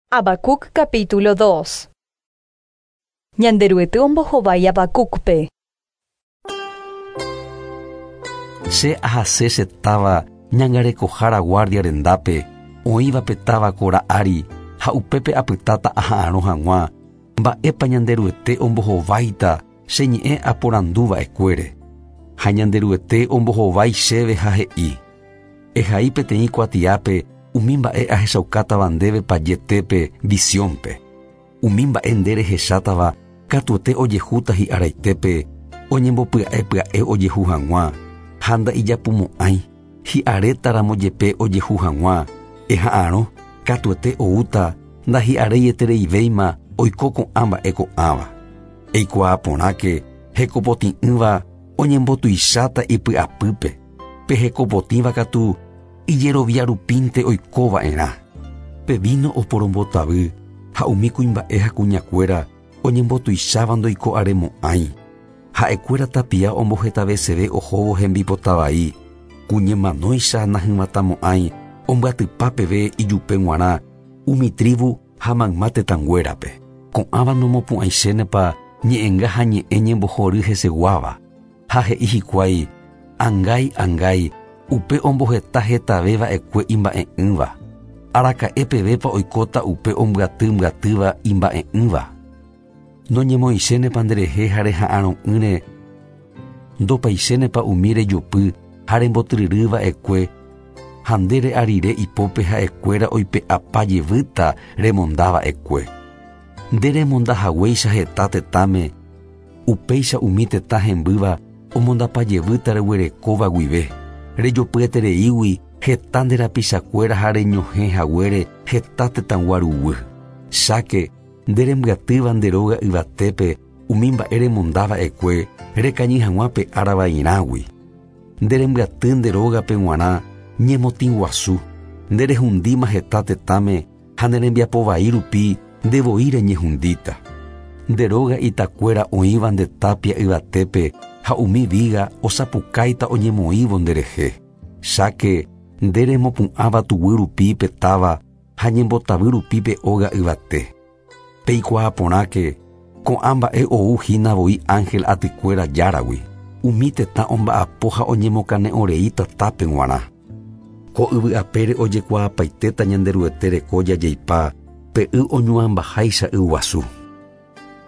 Habacuc capítulo 2. Ñanderuete ombohovái Habacucpe. Che ahase che táva ñangarekohára guardia rendápe, oĩva pe táva kora ári, ha upépe apytáta aha'arõ hag̃ua, mba'épa Ñanderuete ombohováita che ñe'ẽ aporandu va'ekuére. Ha Ñanderuete ombohovái chéve ha he'i, Ehai peteĩ kuatiápe umi mba'e ahechaukátava ndéve payetépe visiónpe. Umi mba'e nde rehechátava katuete ojehúta hi'araitépe oñembopya'e pya'e ojehu hag̃ua, ha nda'ijapumo'ãi, hi'arétaramo jepe ojehu hag̃ua, eha'arõ, katuete oúta ndahi'areietereivéima oiko ko'ã mba'e ko'ãva. Eikuaa porãke hekopotĩ'ỹva oñembotuicháta ipy'apýpe, pe hekopotĩva katu ijerovia rupínte oiko va'erã. Pe víno oporombotavy ha umi kuimba'e ha kuñakuéra oñembotuicháva ndoiko'aremo'ãi. Ha'ekuéra tapia ombohetaveseve ohóvo hembipota vai, ku ñemanóicha nahyvatãmo'ãi ombyatypa peve ijupe g̃uarã umi trívu ha mayma tetãnguérape. Ko'ãva nomopu'ãichénepa ñe'ẽnga ha ñe'ẽ ñembohory heseguáva. Ha he'i hikuái, Angái, angái, upe omboheta hetave va'ekue imba'e'ỹva. Araka'e pevépa oikóta upe ombyaty mbyatýva imba'e'ỹva? Noñemoĩchénepa nderehe ha reha'arõ'ỹre, ndopaichénepa umi rejopy ha rembotyryry va'ekue, ha nde re'a rire ipópe ha'ekuéra oipe'apa jevýta remonda va'ekue. Nde remonda haguéicha heta tetãme, upéicha umi tetã hembýva omondapa jevýta reguerekóva guive, rejopyetereígui heta nde rapichakuéra ha reñohẽ haguére heta tetãgua ruguy. Cháke, nde rembyatýva nde róga yvatépe umi mba'e remonda va'ekue rekañy hag̃ua pe ára vairãgui. Nde rembyaty nde rógape g̃uarã ñemotĩ guasu, nde rehundíma heta tetãme ha ne rembiapo vai rupi nde voi reñehundíta. Nde róga itakuéra oĩva nde tápia yvatépe ha umi víga osapukáita oñemoĩvo nderehe. Cháke nde remopu'ãva tuguy rupi pe táva ha ñembotavy rupi pe óga yvate. Peikuaa porãke, ko'ã mba'e ou hína voi ánhel atykuéra Járagui, umi tetã omba'apo ha oñemokane'õrei tatápe g̃uarã. Ko yvy apére ojekuaapaitéta Ñanderuete reko jajeipa pe y oñuãmbaháicha yguasu.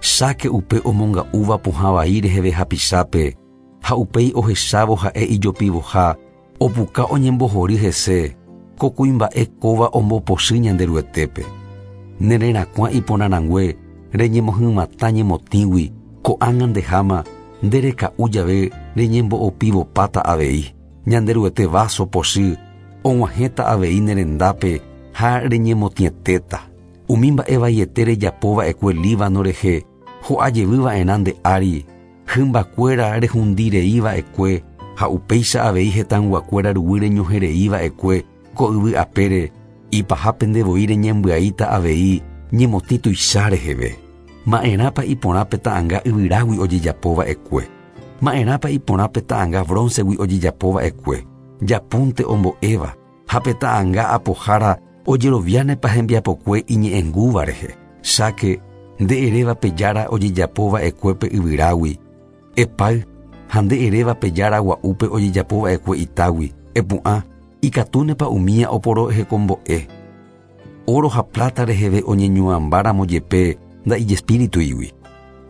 Cháke upe omonga'úva pohã vai reheve hapichápe ha upéi ohechávo ha'e ijopivoha opuka oñembohory hese, ko kuimba'e kóva ombopochy Ñanderuetépe. Ne rerakuã iporãrangue reñemohymatã ñemotĩgui ko'ág̃a ndeháma nde reka'u jave reñembo'opivopáta avei. Ñanderuete váso pochy og̃uahẽta avei ne rendápe ha reñemotĩetéta. Umi mba'e vaiete rejapo va'ekue Líbano rehe ho'a jevy va'erã nde ári, hymbakuéra rehundi rei va'ekue ha upéicha avei hetãyguakuéra ruguy reñohẽ rei va'ekue ko yvy apére, ipahápe nde voi reñembyaíta avei ñemotĩ tuicha reheve. Ma'erãpa iporã pe ta'anga yvyrágui ojejapo va'ekue? Ma'erãpa iporã pe ta'anga bróncegui ojejapo va'ekue, japúnte ombo'éva, ha pe ta'anga apohára ojeroviánepa hembiapokue iñe'ẽngúva rehe? Cháke, nde eréva pe jára ojejapo va'ekue pe yvyrágui, epáy, ha nde eréva pe jára gua'úpe ojejapo va'ekue itágui, epu'ã, ikatúnepa umía oporohekombo'e? Óro ha pláta reheve oñeñuãmba ramo jepe nda'ijespírituigui.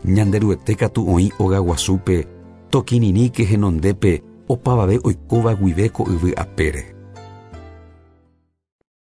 Ñanderuete katu oĩ óga guasúpe, tokirirĩke henondépe opavave oikóva guive ko yvy apére.